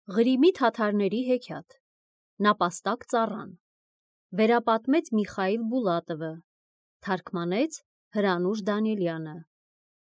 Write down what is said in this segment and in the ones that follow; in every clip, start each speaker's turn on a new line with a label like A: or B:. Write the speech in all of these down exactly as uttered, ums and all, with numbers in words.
A: Ղրիմի թաթարների հեքիաթ, Նապաստակ ծառան, վերապատմեց Միխայիլ Բուլատովը, թարգմանեց Հրանուշ Դանիելյանը,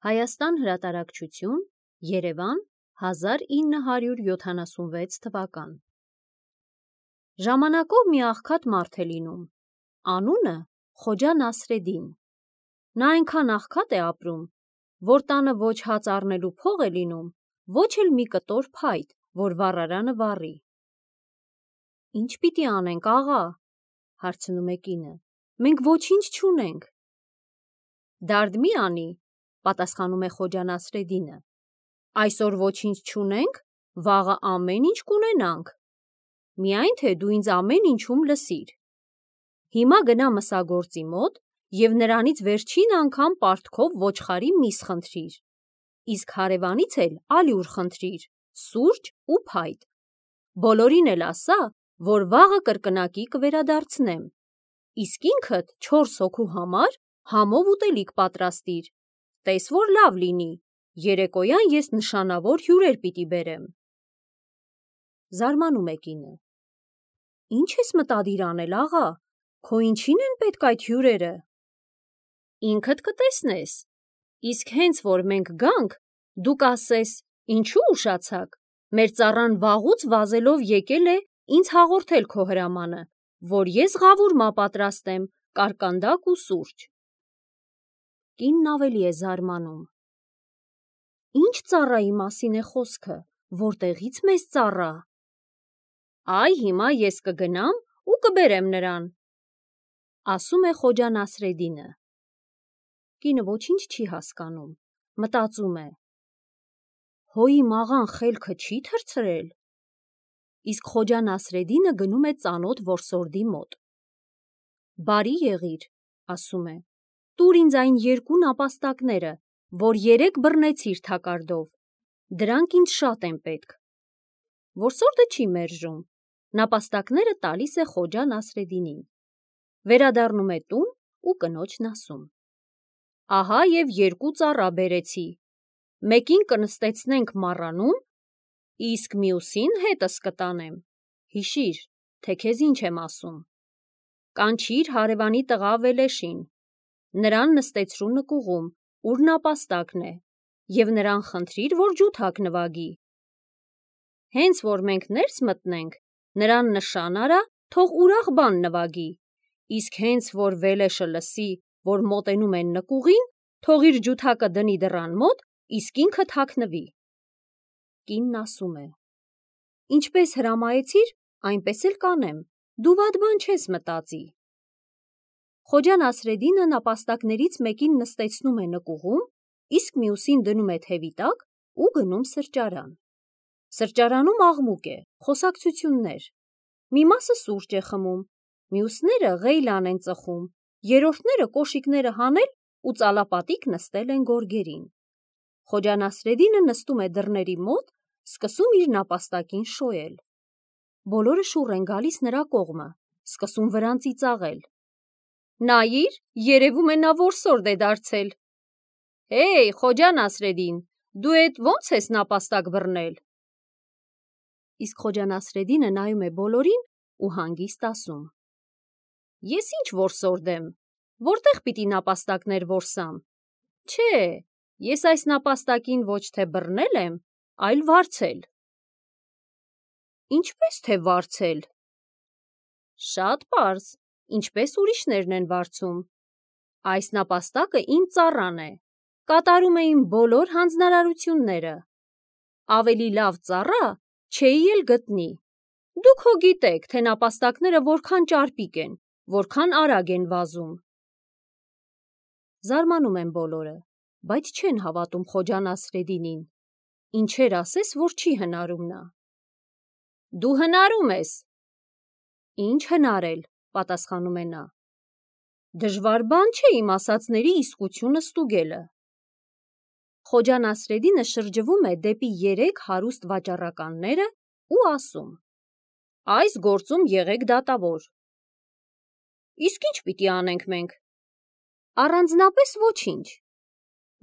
A: Հայաստան հրատարակչություն, Երևան, հազար ինը հարյուր յոթանասունվեց թվական։ Ժամանակով մի աղքատ մարդ է լինում, անունը Խոջա Նասրեդին։ Նա այնքան աղքատ է ապրում, որ տանը ոչ հաց առնելու փող է լինում, ոչ էլ մի կտոր փայտ, որ վառարանը վառի։ Ինչ պիտի անենք, աղա, հարցնում է կինը, մենք ոչինչ չունենք։ Դարդ մի անի, պատասխանում է Խոջա Նասրեդինը, այսօր ոչինչ չունենք, վաղը ամեն ինչ կունենանք, միայն թե դու ինձ ամեն ինչում լսիր։ Հիմա գնա մսագործի մոտ և նրանից վերջին անգամ պարտքով ոչխարի միս խնդրիր, իսկ հարևանից էլ ալյուր խնդրիր, սուրճ ու փայտ, բոլորին էլ ասա, որ վաղը կրկնակի կվերադարձնեմ, իսկ ինքդ չորս հոգու համար համով ուտելիք պատրաստիր, տես որ լավ լինի, երեկոյան ես նշանավոր հյուրեր պիտի բերեմ։ Զարմանում է կինը. Ինչ ես մտադիր անել, աղա, քո ինչին են պետք այդ հյուրերը։ Ինքդ կտեսնես, իսկ հենց որ մենք գանք, դու կասես, ինչու ուշացաք, մեր ծառան վաղուց վազելով եկել է ինձ հաղորդել քո հրամանը, որ ես ղավուրմա պատրաստեմ, կարկանդակ ու սուրճ։ Կինն ավելի է զարմանում. Ինչ ծառայի մասին է խոսքը, որտեղից մեզ ծառա։ Այ հիմա ես կգնամ ու կբերեմ նրան, ասում է Խոջա Նասրեդինը։ Կինը ոչինչ չի հասկանում, մտածում է. հո իմ աղան խելքը չի թռցրել։ Իսկ Խոջա Նասրեդինը գնում է ծանոթ որսորդի մոտ։ Բարի եղիր, ասում է, տուր ինձ այն երկու նապաստակները, որ երեկ բռնեցիր թակարդով, դրանք ինձ շատ են պետք։ Որսորդը չի մերժում, նապաստակները տալիս է Խոջա Նասրեդինին, վերադառնում է տուն ու կնոջն ասում. ահա և երկու ծառա բերեցի, մեկին կնստեցնենք մառանում, իսկ մյուսին հետս կտանեմ, հիշիր, թե քեզ ինչ եմ ասում։ Կանչիր հարևանի տղա Վելեշին, նրան նստեցրու նկուղում, ուր նապաստակն է, և նրան խնդրիր, որ ջութակ նվագի։ Հենց որ մենք ներս մտնենք, նրան նշան արա, թող ուրախ բան նվագի, իսկ հենց որ Վելեշը լսի, որ մոտենում են նկուղին, թող իր ջութակը դնի դռան մոտ, իսկ ինքը թաքնվի։ Կինն ասում է. Ինչպես հրամայեցիր, այնպես էլ կանեմ, դու վատ բան չես մտածի։ Խոջա Նասրեդինը նապաստակներից մեկին նստեցնում է նկուղում, իսկ մյուսին դնում է թևի տակ ու գնում սրճարան։ Սրճարանում աղմուկ է, խոսակցություններ, մի մասը սուրճ է խմում, մյուսները ղեյլան են ծխում, երրորդները կոշիկները հանել ու ծալապատիկ նստել են գորգերին։ Խոջա Նասրեդինը նստում է դռների մոտ, սկսում իր նապաստակին շոյել։ Բոլորը շուռ են գալիս նրա կողմը, սկսում վրան ծիծաղել։ Նայիր, երևում է նա որսորդ է դարձել։ Հեյ, Խոջա Նասրեդին, դու էդ ո՞նց ես նապաստակ բռնել։ Իսկ Խոջա Նասրեդինը նայում է բոլորին ու հանգիստ ասում. Ես ինչ որսորդ եմ, որտեղ պիտի նապաստակներ որսամ։ Չէ, ես այս նապաստակին ոչ թե բռնել եմ, այլ վարձել։ Ինչպես թե վարձել։ Շատ պարզ, ինչպես ուրիշներն են վարձում։ Այս նապաստակը իմ ծառան է, կատարում է իմ բոլոր հանձնարարությունները։ Ավելի լավ ծառա չէի էլ գտնի։ Դուք հո գիտեք, թե նապաստակները որքան ճարպիկ են, որքան արագ են վազում։ Զարմանում են բոլորը, բայց չեն հավատում Խոջա Նասրեդինին, ինչեր ասես, որ չի հնարում նա։ Դու հնարում ես։ Ինչ հնարել, պատասխանում է նա։ Դժվար բան չէ իմ ասածների իսկությունը ստուգելը։ Խոջա Նասրեդինը շրջվում է դեպի երեք հարուստ վաճառականները ու ասում. Այս գործում եղեք դատավոր։ Իսկ ինչ պիտի անենք մենք։ Առանձնապես ոչինչ։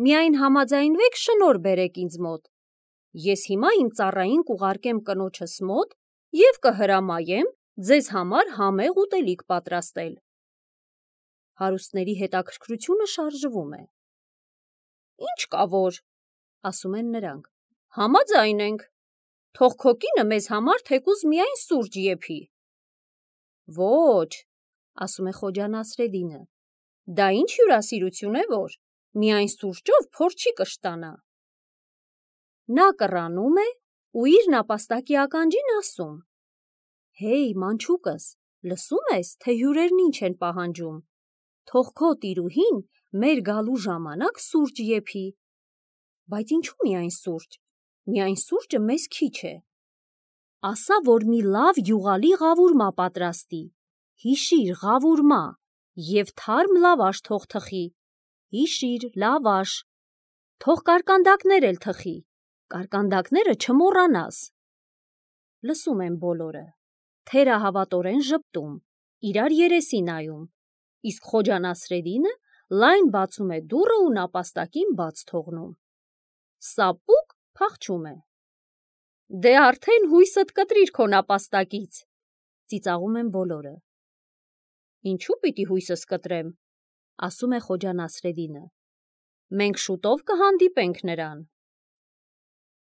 A: Միայն համաձայնվեք շնորհ բերեք ինձ մոտ, Ես հիմա իմ ծառային կուղարկեմ կնոջս մոտ և կհրամայեմ ձեզ համար համեղ ուտելիք պատրաստել։ Հարուստների հետաքրքրությունը շարժվում է։ Ինչ կա որ, ասում են նրանք, համաձայն ենք, թող քո կինը մեզ համար թեկուզ միայն սուրճ եփի։ Ոչ, ասում է Խոջա Նասրեդինը, դա ինչ հյուրասիրություն է որ, միայն սուրճով փոր չի կշտանա։ Նա կռանում է ու իր նապաստակի ականջին ասում. Հեյ, մանչուկս, լսում ես, թե հյուրերն ինչ են պահանջում, թող քո տիրուհին մեր գալու ժամանակ սուրճ եփի։ Բայց ինչու միայն սուրճ, միայն սուրճը մեզ քիչ է։ Ասա, որ մի լավ յուղալի ղավուրմա պատրաստի, հիշիր ղավուրմա, և թարմ լավաշ թող թխի, հիշիր լավաշ, թող կարկանդակներ էլ թխի, կարկանդակները չմոռանաս։ Լսում են բոլորը, թերահավատորեն ժպտում, իրար երեսի նայում, իսկ Խոջա Նասրեդինը լայն բացում է դուռը ու նապաստակին բաց թողնում։ Սապուկ փախչում է։ Դե արդեն հույսդ կտրիր քո նապաստակից, ծիծաղում են բոլորը։ Ինչու պիտի հույսս կտրեմ, ասում է Խոջա Նասրեդինը, մենք շուտով կհանդիպենք նրան։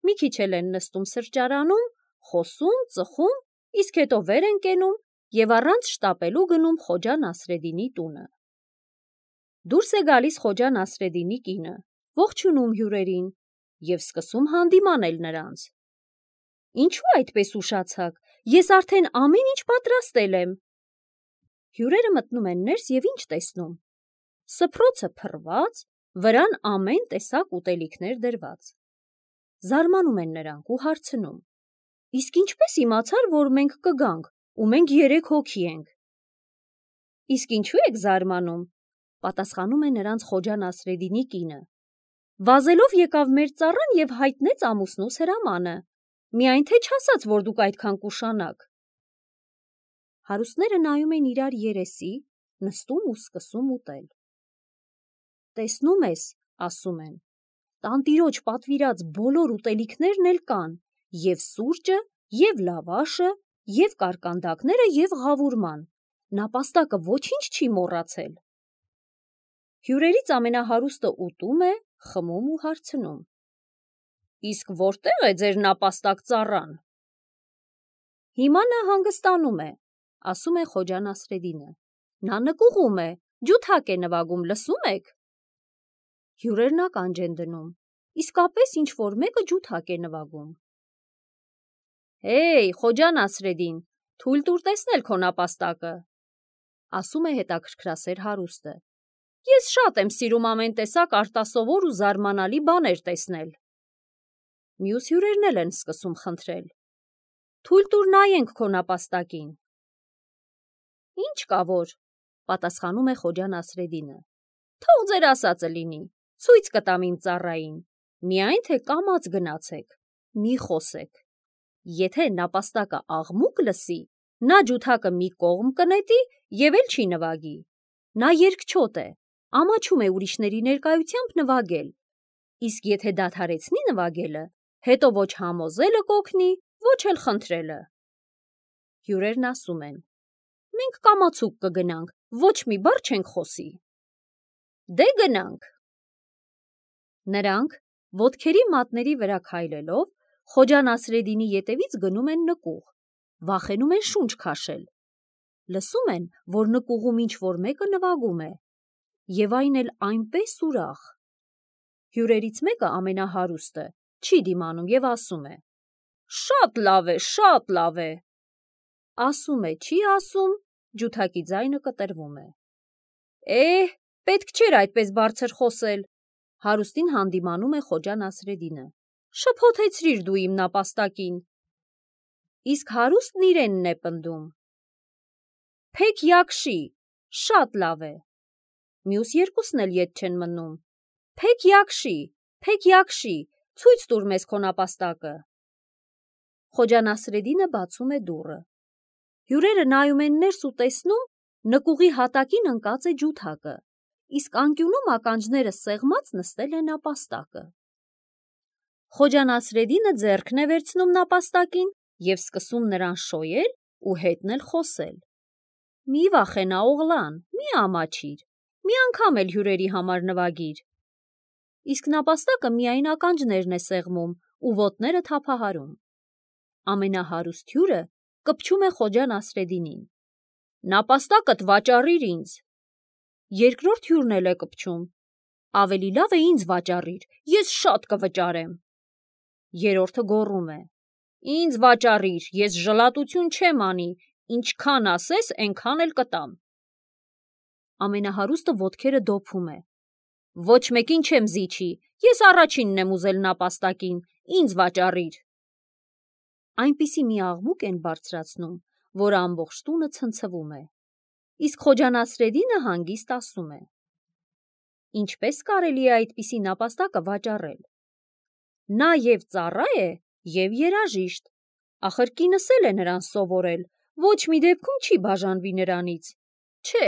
A: Մի քիչ էլ են նստում սրճարանում, խոսում, ծխում, իսկ հետո վեր են կենում և առանց շտապելու գնում Խոջա Նասրեդինի տունը։ Դուրս է գալիս Խոջա Նասրեդինի կինը, ողջունում հյուրերին և սկսում հանդիմանել նրանց։ Ինչու այդպես ուշացաք, ես արդեն ամեն ինչ պատրաստել եմ։ Հյուրերը մտնում են ներս և ինչ տեսնում։ Սփռոցը փռված, վրան ամեն տեսակ ուտելիքներ դրված։ Զարմանում են նրանք ու հարցնում. Իսկ ինչպես իմացար, որ մենք կգանք, ու մենք երեք հոգի ենք։ Իսկ ինչու եք զարմանում, պատասխանում է նրանց Խոջա Նասրեդինի կինը։ Վազելով եկավ մեր ծառան և հայտնեց ամուսնուս հրամանը, միայն թե չասաց, որ դուք այդքան կուշանաք։ Հարուստները նայում են իրար երեսի, նստում ու սկսում ուտել։ Տեսնում ես, ասում են, տանտիրոջ պատվիրած բոլոր ուտելիքներն էլ կան, և սուրճը, և լավաշը, և կարկանդակները, և ղավուրման, նապաստակը ոչինչ չի մոռացել։ Հյուրերից ամենահարուստը ուտում է, խմում ու հարցնում. Իսկ որտե՞ղ է ձեր նապաստակ ծառան։ Հիմա նա հանգստանում է, ասում է Խոջա Նասրեդինը, նա նկուղում է, ջութակ է նվագում, լսում եք։ Հյուրերն ականջ են դնում, իսկապես ինչ-որ մեկը ջութակ է նվագում։ Հեյ, Խոջա Նասրեդին, թույլ տուր տեսնել քո նապաստակը, ասում է հետաքրքրասեր հարուստը։ Ես շատ եմ սիրում ամեն տեսակ արտասովոր ու զարմանալի բաներ տեսնել։ Մյուս հյուրերն էլ են սկսում խնդրել. Թույլ տուր նայենք քո նապաստակին։ Ինչ կա որ, պատասխանում է Խոջա Նասրեդինը, թող ձեր ասածը լինի, ցույց կտամ իմ ծառային, միայն թե կամաց գնացեք, մի խոսեք։ Եթե նապաստակը աղմուկ լսի, նա ջութակը մի կողմ կնետի և էլ չի նվագի։ Նա երգչոտ է, ամաչում է ուրիշների ներկայությամբ նվագել, իսկ եթե դադարեցնի նվագելը, հետո ոչ համոզելը կօգնի, ոչ էլ խնդրելը։ Հյուրերն ասում են. Մենք կամացուկ կգնանք, ոչ մի բառ չենք խոսի։ Դե գնանք։ Նրանք, ոտքերի մատների վրա քայլելով, Խոջա Նասրեդինի ետևից գնում են նկուղ, վախենում են շունչ քաշել։ Լսում են, որ նկուղում ինչ-որ մեկը նվագում է, և այն էլ այնպես ուրախ։ Հյուրերից մեկը, ամենահարուստը, չի դիմանում և ասում է. Շատ լավ է, շատ լավ է։ Ասում է, չի ասում, ջութակի ձայնը կտրվում է։ Էհ, պետք չէր այդպես բարձր խոսել, հարուստին հանդիմանում է Խոջա Նասրեդինը։ Շփոթեցրիր դու իմ նապաստակին։ Իսկ հարուստն իրենն է պնդում. Փեք յակշի, շատ լավ է։ Մյուս երկուսն էլ ետ չեն մնում. Փեք յակշի, փեք յակշի, ցույց տուր մեզ քո նապաստակը։ Խոջա Նասրեդինը բացում է դուռը։ Հյուրերը նայում են ներս ու տեսնում, նկուղի հատակին ընկած է ջութակը, իսկ անկյունում ականջները սեղմած նստել է նապաստակը։ Խոջա Նասրեդինը ձեռքն է վերցնում նապաստակին և սկսում նրան շոյել ու հետնել խոսել. «Մի վախենա, օղլան, մի ամաչիր, մի անգամ էլ հյուրերի համար նվագիր»։ Իսկ նապաստակը միայն ականջներն է սեղմում ու ոտները թափահարում։ Ամենահարուստ հյուրը կպչում է Խոջա Նասրեդինին. «Նապաստակդ վաճառիր ինձ»։ Երկրորդ հյուրն էլ է կպչում. «Ավելի լավ է ինձ վաճառիր, ես շատ կվճարեմ»։ Երրորդը գոռում է. «Ինձ վաճառիր, ես ժլատություն չեմ անի, ինչքան ասես, էնքան էլ կտամ»։ Ամենահարուստը ոտքերը դոփում է. «Ոչ մեկին չեմ զիջի, ես առաջինն եմ ուզել նապաստակին, ինձ վաճառիր»։ Այնպիսի մի աղմուկ են բարձրացնում, որ ամբողջ տունը ցնցվում է։ Իսկ Խոջա Նասրեդինը հանգիստ ասում է. «Ինչպե՞ս կարելի է այդպիսի նապաստակը վաճառել։ Նա և ծառա է, և երաժիշտ, ախր կինս էլ է նրան սովորել, ոչ մի դեպքում չի բաժանվի նրանից։ Չէ,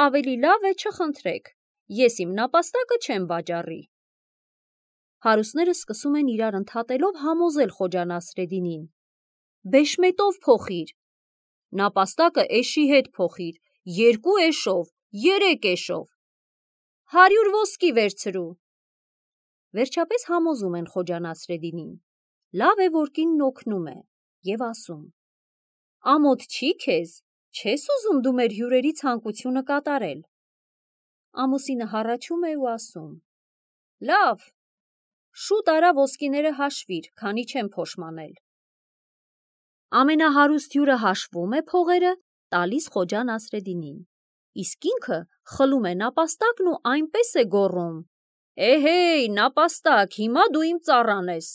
A: ավելի լավ է չխնդրեք, ես իմ նապաստակը չեմ վաճառի»։ Հարուստները սկսում են իրար ընդհատելով համոզել Խոջա Նասրեդինին. «Բեշմետով փոխիր, նապաստակը էշի հետ փոխիր, երկու էշով, երեք էշով, հարյուր ոսկի վերցրու»։ Վերջապես համոզում են Խոջա Նասրեդինին. լավ է, որ կինն օգնում է, և ասում. «Ամոթ չի քեզ, չես ուզում դու մեր հյուրերի ցանկությունը կատարել»։ Ամուսինը հառաչում է ու ասում. «Լավ, շուտ արա ոսկիները հաշվիր, քանի չեմ փոշմանել»։ Ամենահարուստ հյուրը հաշվում է փողերը, տալիս Խոջա Նասրեդինին, իսկ ինքը խլում է նապաստակն ու այնպես է գոռում. «Էհեյ, նապաստակ, հիմա դու իմ ծառան ես»։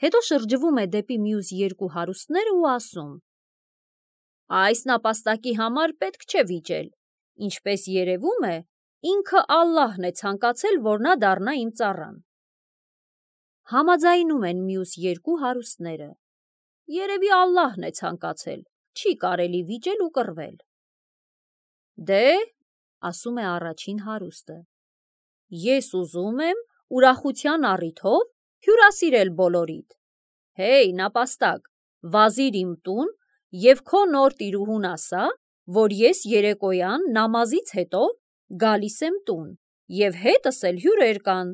A: Հետո շրջվում է դեպի մյուս երկու հարուստները ու ասում. «Այս նապաստակի համար պետք չէ վիճել, ինչպես երևում է, ինքը Ալլահն է ցանկացել, որ նա դառնա իմ ծառան»։ Համաձայնում են մյուս երկու հարուստները. «Երևի Ալլահն է ցանկացել, չի կարելի վիճել ու կռվել»։ «Դե», ասում է առաջին հարուստը, «ես ուզում եմ ուրախության առիթով հյուրասիրել բոլորիդ։ Հեյ, նապաստակ, վազիր իմ տուն և քո նոր տիրուհուն ասա, որ ես երեկոյան նամազից հետո գալիս եմ տուն, և հետս էլ հյուրեր կան,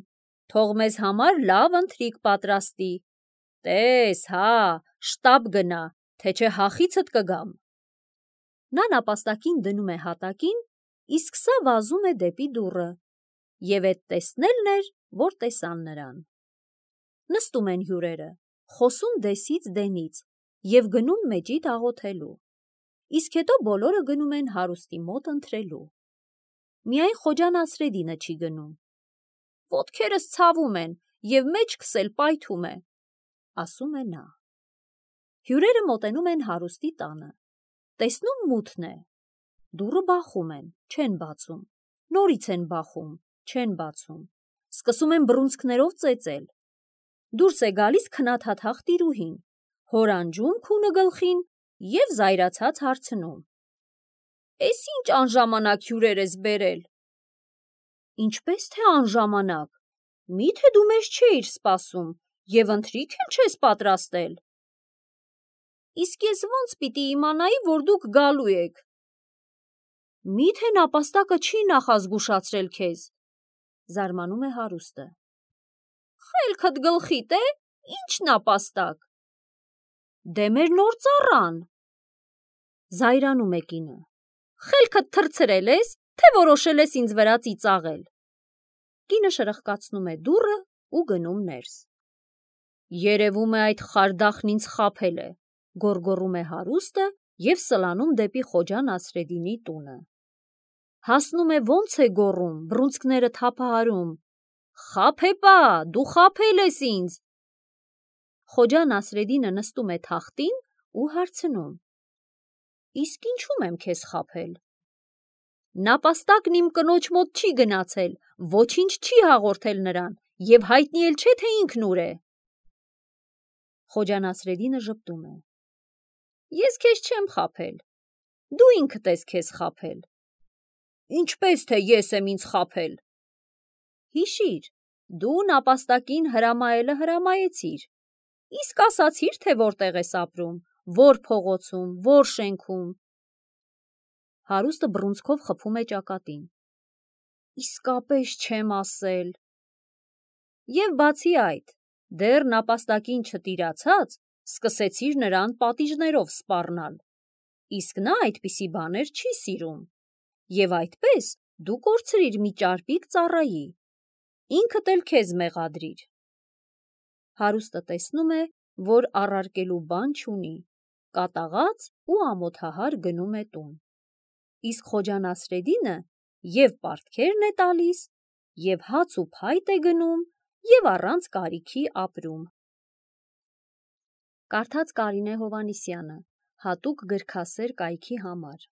A: թող մեզ համար լավ ընթրիք պատրաստի։ Տես, հա, շտապ գնա, թե չէ հախիցդ կգամ»։ Նա նապաստակին դնում է հատակին, իսկ սա վազում է դեպի դուռը, և էդ տեսնելն էր, որ տեսան նրան։ Նստում են հյուրերը, խոսում դեսից դենից և գնում մեջիդ աղոթելու, իսկ հետո բոլորը գնում են հարուստի մոտ ընթրելու։ Միայն Խոջա Նասրեդինը չի գնում. «Ոտքերս ցավում են, և մեջքս էլ պայթում է», ասում է նա։ Հյուրերը մոտենում են հարուստի տանը, տեսնում մութն է, դուռը բախում են, չեն բացում, նորից են բախում, չեն բացում, սկսում են բռունցքներով ծեծել։ Դուրս է գալիս քնաթաթախ տիրուհին, հորանջում քունը գլխին և զայրացած հարցնում. «Էս ինչ անժամանակ հյուրեր ես բերել»։ «Ինչպես թե անժամանակ, մի՞թե դու մեզ չէիր սպասում և ընթրիք էլ չես պատրաստել»։ «Իսկ ես ո՞նց պիտի իմանայի, որ դուք գալու եք»։ «Մի՞թե նապաստակը չի նախազգուշացրել քեզ», զարմանում է հարուստը։ «Խելքդ գլխիդ է, ի՞նչ նապաստակ»։ «Դե մեր նոր ծառան»։ Զայրանում է կինը. «Խելքդ թռցրել ես, թե որոշել ես ինձ վրա ծիծաղել»։ Կինը շրխկացնում է դուռը ու գնում ներս։ «Երևում է այդ խարդախն ինձ խաբել է», գոռգոռում է հարուստը և սլանում դեպի Խոջա Նասրեդինի տունը։ Հասնում է ոնց է գոռում, բռունցքները թափահարում. «Խաբեբա, դու խաբել ես ինձ»։ Խոջա Նասրեդինը նստում է թախտին ու հարցնում. «Իսկ ինչու՞մ եմ քեզ խաբել»։ «Նապաստակն իմ կնոջ մոտ չի գնացել, ոչինչ չի հաղորդել նրան և հայտնի էլ չէ, թե ինքն ուր է»։ Խոջա Նասրեդինը ժպտում է. «Ես քեզ չեմ խաբել, դու ինքդ ես քեզ խաբել»։ «Ինչպես թե ես եմ ինձ խաբել»։ Հիշիր, Դու նապաստակին հրամայելը հրամայեցիր, իսկ ասացիր, թե որտեղ ես ապրում, որ փողոցում, որ շենքում։ Հարուստը բռունցքով խփում է ճակատին։ Իսկապես չեմ ասել։ Եվ բացի այդ, դեռ նապաստակին չտիրացած, սկսեցիր նրան պատիժներով սպառնալ, իսկ նա այդպիսի բաներ չի սիրում, և այդպես դու կորցրիր մի ճարպիկ ծառայի, ինքդ էլ քեզ մեղադրիր։ Հարուստը տեսնում է, որ առարկելու բան չունի, կատաղած ու ամոթահար գնում է տուն, իսկ Խոջա Նասրեդինը և պարտքերն է տալիս, և հաց ու փայտ է գնում, և առանց կարիքի ապրում։ Կարդաց Կարինե Հովհաննիսյանը, հատուկ գրքասեր կայքի համար։